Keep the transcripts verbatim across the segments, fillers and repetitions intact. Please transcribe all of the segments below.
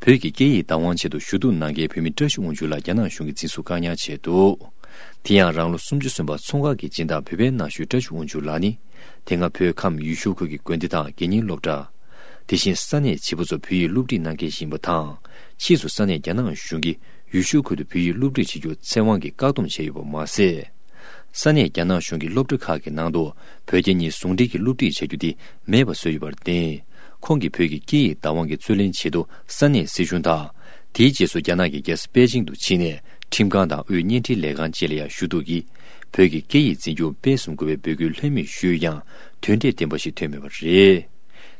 བོད་ཀྱི་སྐད་ཡིག་བདག་དབང་ཆེད་དུ་ཞུ་གཏུག་གནང་མཁན་བོད་མི་བཀྲ་ཤིས་དབང་ཕྱུག་ལགས་རྒྱ་ནག་གཞུང་གིས་འཛིན་བཟུང་བཀག་ཉར་བྱས་འདུག་དེ་ཡང་རང་ལོ་སུམ་ཅུ་སོན་པ་ཚོང་ཁང་གི་སྦྱིན་བདག་བོད་པའི་ནང་བཞུགས་བཀྲ་ཤིས་དབང་ཕྱུག་ལགས་ནི། དེ་སྔ་བོད་ཁམས་ཡུལ་ཤུལ་ཁུལ་གྱི་དགོན་སྡེ་དང་དགེ་རྒན་སློབ་གྲྭ། དེ་བཞིན་ས་གནས་བྱིས་པ་ཚོར་བོད་ཡིག་སློབ་ཁྲིད་གནང་མཁན་ཞིག་ཡིན་པ་དང་། ཕྱིས་སུ་ས་གནས་རྒྱ་ནག་གཞུང་གིས་ཡུལ་ཤུལ་ཁུལ་དུ་བོད་ཡིག་སློབ་ཁྲིད་བྱེད་རྒྱུར་ཚེ་དབང་གིས་བཀག་སྡོམ་བྱས་ཡོད་པ་མ་ཟད། ས་གནས་རྒྱ་ནག་གཞུང་གི་སློབ་གྲྭ་ཁག་གི་ནང་དུ་བོད་རྒྱ་གཉིས་ཟུང་འབྲེལ་གྱིས་སློབ་ཁྲིད་བྱ་རྒྱུ་དེ་མེད་པ་བཟོས་ཡོད་པར་བརྟེན། ཁོང་གིས་བོད་ཀྱི་སྐད་ཡིག་བདག་དབང་གི་རྩོད་ལེན་ཆེད་དུ་ས་གནས་སྲིད་གཞུང་དང་། དེའི་རྗེས་སུ་རྒྱ་ནག་གི་རྒྱལ་ས་པེ་ཅིང་དུ་ཕྱིན་ནས་ཁྲིམས་ཁང་དང་དབུས་བརྙན་འཕྲིན་ལས་ཁང་བཅས་ལ་ཡང་ཞུ་གཏུག་གིས། བོད་ཀྱི་སྐད་ཡིག་འཛིན་སྐྱོང་སྤེལ་གསུམ་དགོས་པའི་འབོད་སྐུལ་ལྷོད་མེད་ཞུས་ཡང་། དོན་འབྲས་ལྡན་པ་ཞིག་ཐོན་མེད་པ་རེད།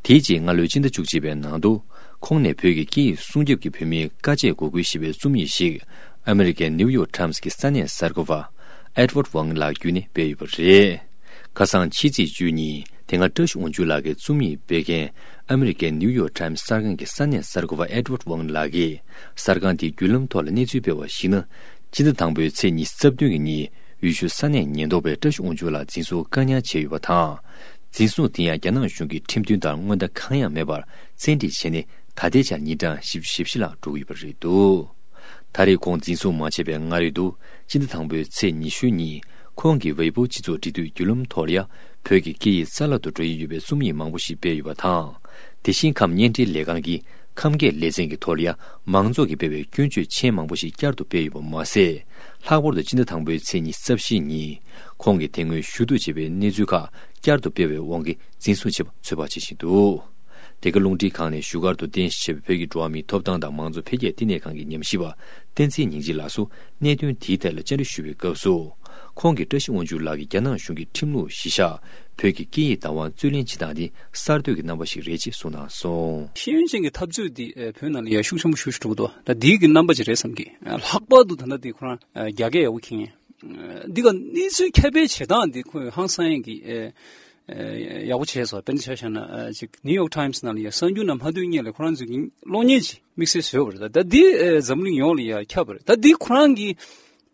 དེའི་རྗེས་སྔ་ལོའི་སྤྱི་ཟླ་བཅུ་གཅིག་པའི་ནང་དུ། ཁོང་ནས་བོད་ཀྱི་སྐད་ཡིག་སྲུང་སྐྱོབ་ཀྱི་བོད་མིའི་དཀའ་སྤྱད་འགོག་རྒོལ་ཞེས་པའི་རྩོམ་ཡིག་ཞིག་ཨ་མེ་རི་ཀའི་ནིའུ་ཡོག་ཊའིམ་སི་གི་ས་གནས་གསར་འགོད་པ་ཨེ་ཌི་ཝར་ཝང་ལགས་བརྒྱུད་ནས་སྤེལ་ཡོད་པ་རེད། ཁ་སང་ཕྱི་ཚེས་བཅུ་གཉིས། དེ་སྔ་བཀྲ་ཤིས་དབང་ཕྱུག་ལགས་ཀྱི་རྩོམ་ཡིག་སྤེལ་མཁན་ཨ་མེ་རི་ཀའི་ནིའུ་ཡོག་ཊའིམ་སི་གསར་ཁང་གི་ས་གནས་གསར་འགོད་པ་ཨེ་ཌི་ཝར་ཝང་ལགས་ཀྱིས་གསར་ཁང་དེའི་བརྒྱུད་ལམ་ཐོག་ལ་གནས་ཚུལ་སྤེལ་བར་གཞིགས་ན། སྤྱི་ཟླ་དང་པོའི་ཚེས་ཉི་ཤུ་རྩ་བདུན་གྱི་ཉིན་ཡུལ་ཤུལ་ས་གནས་ཉེན་རྟོག་པས་བཀྲ་ཤིས་དབང་ཕྱུག་ལགས་འཛིན་བཟུང་བཀག་ཉར་བྱས་ཡོད་པ་དང་། འཛིན་བཟུང་དེ་ཡང་རྒྱ་ནག་གཞུང་གིས་ཁྲིམས་མཐུན་ལྟར་སྔོན་བརྡ་གང་ཡང་མེད་པར་བཙན་ཁྲིད་བྱས་ནས་ད་ལྟའི་ཆར་ཉིན་གྲངས་བཞི་བཅུ་ཞེ་བཞི་ལྷག་འགྲོ་གི་ཡོད་པ་རེད་འདུག་ད་རེས་ཁོང་འཛིན་བཟུང་མ་བྱས་པའི་སྔ་རོལ་དུ་སྤྱི་ཟླ་དང་པོའི་ཚེས་ཉི་ཤུ་ཉིན་ཁོང་གིས་ཝེ་པོ་སྤྱི་ཚོགས་འབྲེལ་མཐུད་བརྒྱུད་ལམ་ཐོག་ལ་ཡང་བོད་ཀྱི་སྐད་ཡིག་རྩ་བརླག་ཏུ་འགྲོ་ཡི་ཡོད་པའི་རྩོམ་ཡིག་མང་པོ་ཞིག་སྤེལ་ཡོད་པ་དང་། དེ་བཞིན་ཁམས་བརྙན་འཕྲིན་ལས་ཁང་གིས་ཁམས་སྐད་ལེ་ཚན་གྱི་ཐོག་ལ་ཡང་མང་ཚོགས་ཀྱིས་སྤེལ་བའི་སྐྱོན་བརྗོད་མཆན་མང་པོ་ཞིག་བསྐྱར་དུ་སྤེལ་ཡོད་པ་མ་ཟད། ལྷག་པར་དུ་སྤྱི་ཟླ་དང་པོའི་ཚེས་ཉི་ཤུ་རྩ་བཞི་ཉིན་ཁོང་གིས་དེ་སྔོན་ཞུ་གཏུག་བྱས་པའི་གནས་ཚུལ་ཁག་བསྐྱར་དུ་སྤེལ་བའི་དབང་གིས་འཛིན་བཟུང་བྱས་པ་ཚོད་དཔག་བྱེད་བཞིན་འདུག་དེ་ག་རླུང་འཕྲིན་ཁང་ནས་བཞུགས་སྒར་དུ་རྟེན་གཞི་བྱས་པའི་བོད་ཀྱི་འགྲོ་བ་མིའི་ཐོབ་ཐང་དང་མང་གཙོ་འཕེལ་རྒྱས་བསྟི་གནས་ཁང་གི་ཉམས་ཞིབ་པ་བསྟན་འཛིན་ཉིན་བྱེད་ལགས་སུ་གནད་དོན་དེའི་ཐད་ལ་བཅར་འདྲི་ཞུ་བའི་སྐབས་སུ། ཁོང་གིས་བཀྲ་ཤིས་དབང་ཕྱུག་ལགས་ཀྱིས་རྒྱ་ནག་གཞུང་གི་ཁྲིམས་ལུགས་གཞི་བཞག་བོད་ཀྱི་སྐད་ཡིག་བདག་དབང་རྩོད་ལེན་བྱེད་སྟངས་འདི་གསར་གཏོད་ཀྱི་རྣམ་པ་ཞིག་རེད་ཅེས་གསུངས་གནང་སོང་། ཤེས་ཡོན་ཅན་གྱི་འཐབ་རྩོད་འདི་ཨེ་བོད་ནང་ལ་ཡ་ཤུགས་ཆེན་པོ་ཞེ་པོ་ཅིག་འགྲོ་གི་འདུག་ད་འདིའི་གི་རྣམ་པ་ཅིག་རེད་བསམ་གི། ལྷག་པར་དུ་ད་ལྟ་འདི་ཁོ་རང་རྒྱ་སྐད་ཡག་པོ་མཁྱེན་མཁན། འདི་ག་གནས་ཚུལ་ཁྱབ་སྤེལ་བྱེད་སྟངས་འདི་ཁོས་ཧང་སང་ཡས་ཀྱི་ཨེ་ཨེ་ཡག་པོ་བྱས་སོང་། དཔེར་ན་ཆ་བཞག་ན་ཨ་ཅིག་ནིའུ་ཡོག་ཊའིམ་སི་ནང་ལ་ཡ་གསར་འགྱུར་ནང་མ་ཐོན་སྔོན་ལ་ཁོ་རང་ཚོས་ཀྱི་གློག་བརྙན་ཅིག་དམིགས་བསལ་བཟོས་པ་རེད། ད་ད་འདི་ཨེ་འཛམ་གླིང་ཡོངས་ལ་ཡ་ཁྱབ་པ་རེད། ད་འདི་ཁོ་རང་གི་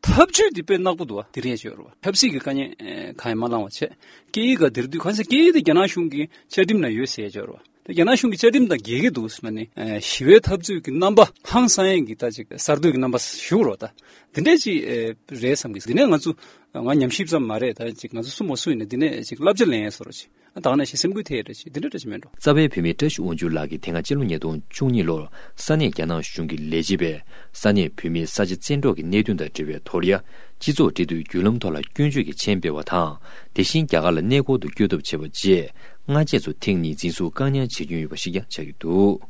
ཐབས་ཇུས་འདི་དཔེ་ནག་པོ་འདུག་བ། འདི་རེད་ཅེས་རེད་བ། ཆབ་སྲིད་ཀྱི་དཀའ་ཉེན་ཨེ་གང་ཡང་མ་བསླངས་པ་བྱས། སྐད་ཡིག་ག་འདིར་དུས་གང་ཟེར་སྐད་ཡིག་དེ་རྒྱ་ནག་གཞུང་གི་བཅའ་ཁྲིམས་ནང་ཡོད་ཟེར་ཅེས་རེད་བ། རྒྱ་ནག་གཞུང་གི་བཅའ་ཁྲིམས་དང་འགལ་གྱི་འདུག་ཟེར་ནས་ཨ་ཞི་བའི་འཐབ་རྩོད་ཀྱི་རྣམ་པ་ཧང་སང་ཡས་ཀྱི་ད་ཅིག་གསར་གཏོད་ཀྱི་རྣམ་པ་ཞུ་རོགས། ད་འདི་འདྲས་ཅིག་ཨེ་རེད་བསམ་གི། འདི་ནས་ང་ཚོ་ང་ཉམས་ཞིབ་ཙམ་མ་རེད། ད་ཅིག་ང་ཚོ་སུ་མ་སུ་ཡིན་ན་འདི་ནས་ཅིག་བསླབ་བྱ་ལེན་ཡས་བཟོ་རོགས་ཅིག་ཨ་དང་ནས་ཞིག་སེམས་འགུལ་ཐེབས་རེད་ཅིག་འདི་འདྲས་འདྲ་ཅིག་མེད་འགྲོ། རྩ་བའི་བོད་མི་བཀྲ་ཤིས་དབང་ཕྱུག་ལགས་ཀྱིས་དེ་སྔ་སྤྱི་ལོ་ཉིས་སྟོང་བཅུ་གཉིས་ལོར་ས་གནས་རྒྱ་ནག་གཞུང་གི་ལས་བྱེད་པས་ས་གནས་བོད་མིའི་ས་ཆ་བཙན་འཕྲོག་གི་གནད་དོན་དང་འབྲེལ་བའི་ཐོག་ལ་ཡ་སྤྱི་ཚོགས་འབྲེལ་མཐུད་བརྒྱུད་ལམ་ཐོག་ལ་སྐྱོན་བརྗོད་ཀྱི་མཆན་སྤེལ་བ་དང་། དེ་བཞིན་རྒྱ་གར་ལ་གནས་སྐོར་དུ་བསྐྱོད་ཐབས་བྱས་པ་བཅས་སྔ་རྗེས་སུ་ཐེངས་གཉིས་འཛིན་བཟུང་བཀག་ཉར་བྱེད་མྱོང་ཡོད་པ་ཞིག་ཀྱང་ཆགས་ཀྱི་འདུག